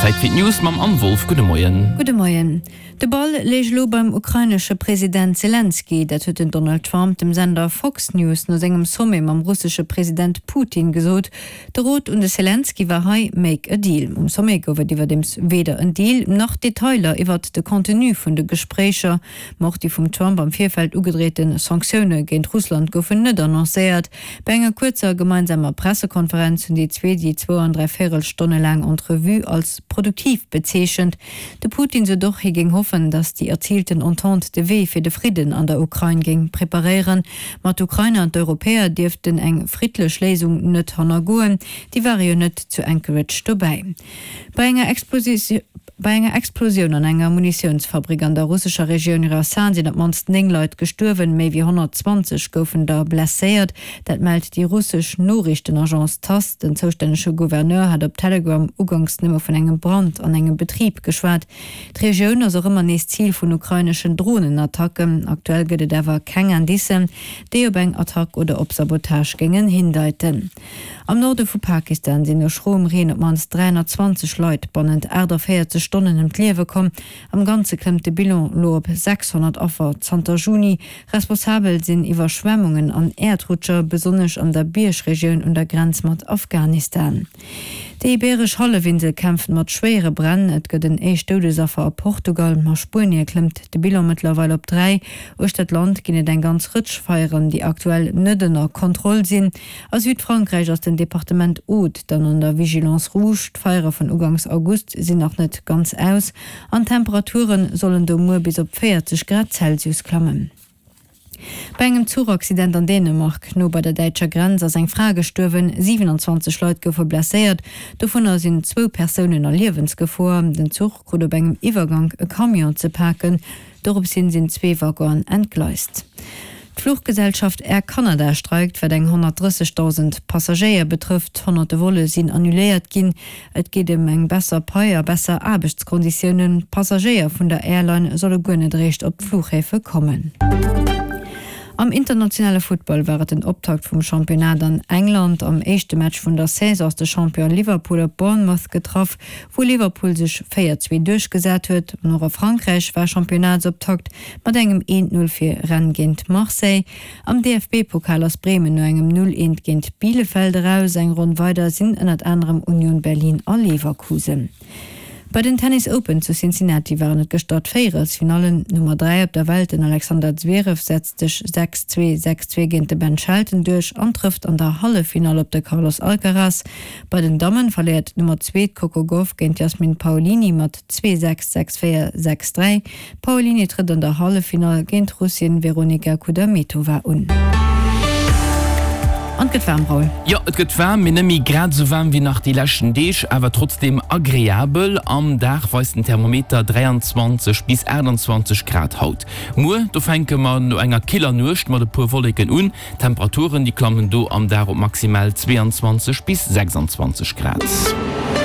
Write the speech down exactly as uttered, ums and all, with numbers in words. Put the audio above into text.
Zäit fir d'News mam Anne Wolff. Gudde Moien. Gudde Moien. De Ball léich elo beim ukrainesche President Selenskyj. Dat huet den Donald Trump dem Sender Fox News no sengem Sommet mam russesche President Putin gesot. De Rot un de Selenskyj war hei, Make a deal. Um Sommet gouf et iwwerdeems weder en Deal, nach Detailer iwwert de Contenu vun de Gespréicher. Ma och déi vum Trump am Virfeld ugedreete Sanktioune géint Russland goufen net annoncéiert. Bei enger kuerzer gemeinsamer Pressekonferenz hunn déi zwee déi zwou an dräi Véierel Stonne laang Entrevue als produktiv bezeechent. De Putin sot och, hie géing hoffen, datt déi erziilten Entente de Wee fir de Fridden an der Ukrain géing preparéieren. Ma d'Ukrainer an d'Europäer dierften eng friddlech Léisung net hannergoen. Déi ware jo net zu Anchorage dobäi. Bei enger Bei enger Explosioun an enger Munitiounsfabrik an der russescher Regioun Rjasan sinn op d'mannst néng Leit gestuerwen, méi wéi honnertzwanzeg goufen der blesséiert. Dat mellt déi russesch Noriichtenagence Tass. Den zoustännege Gouverneur hat op Telegram uganks nëmme vun engem Brand an engem Betrib geschwat. D'Regioun ass och ëmmer nees Zil vun ukraineschen Dronenattacken. Aktuell gëtt et awer keng Indicen, déi op eng Attack oder op Sabotage géingen hindeiten. Am Norde vu Pakistan sinn no schroem Reen op d'mannst dräihonnertzwanzeg Leit bannent aachtavéierzeg Stonnen ëm d'Liewe komm. Am Ganze klëmmt de Bilan elo op sechshonnert Affer zanter Juni. Responsabel sinn Iwwerschwemmungen an Äerdrutscher, besonnesch an der Biergregioun un der Grenz mat Afghanistan. Déi ibeeresch Hallefinsel kämpft mat schwéiere Bränn. Et gëtt en éischt Doudesaffer a Portugal. A Spuenie klëmmt de Bilan mëttlerweil op dräi. Uechter d'Land ginn et eng ganz Rëtsch Feieren, déi aktuell net ënner Kontroll sinn. A Südfrankräich ass den Departement Aude dann an der Vigilance rouge. D'Feiere vun uganks August sinn nach net ganz aus an d'Temperature sollen do muer bis op véierzeg Grad Celsius klammen. Bei engem Zuchaccident an Dänemark, no bei der däitscher Grenz, ass eng Fra gestuerwen, siwenanzwanzeg Leit goufe blesséiert, dovunner sinn zwou Persounen a Liewensgefor. Den Zuch krut op engem Iwwergank e Camion ze paken, dorops hin sinn zwee Waggonen entgleist. D'Fluchgesellschaft Air Canada streikt, wat eng honnertdrëssegdausend Passagéier betrëfft. Honnerte Volle sinn annuléiert ginn. Et geet ëm eng besser Pai a besser Aarbechtskonditiounen. D'Passagéier vun der Airline solle guer net eréischt op d'Fluchhäfe kommen. Am internationale Futtball war et den Optakt vum Championnat an England. Am éischte Match vun der Saison ass de Champion Liverpool op Bournemouth getraff, wou Liverpool sech véier zwee duerchgesat huet. An och a Frankräich war Championnatsoptakt mat engem eent Null fir Rennes géint Marseille. Am D F B Pokal ass Bremen no engem Null eent géint Bielefeld eraus. Eng Ronn weider sinn ënnert anerem Union Berlin a Leverkusen. Bei den Tennis Open zu Cincinnati waren et gëschter d'Véierelsfinallen. D'Nummer dräi op der Welt, den Alexander Zverev, setzt sech sechs zwee, sechs zwee géint de Ben Shelton duerch an trëfft an der Halleffinall op de Carlos Alcaraz. Bei den Dammen verléiert d'Nummer zwee, d'Coco Gauff, géint d'Jasmine Paolini mat zwee sechs, sechs véier, sechs dräi. D'Paolini trëtt an der Halleffinall géint d'Russin Veronika Kudermetova un. An et gëtt waarm, Raoul. Jo, et gëtt waarm, mee net méi grad esou waarm wéi nach déi leschten Deeg, awer trotzdeem agreabel. Am Dag weist den Thermometer dräianzwanzeg bis aachtanzwanzeg Grad haut. Muer, do fänke mer no enger killer Nuecht mat e puer Wolleken un. D'Temperaturen, déi klammen do am Dag op maximal zweeanzwanzeg bis sechsanzwanzeg Grad.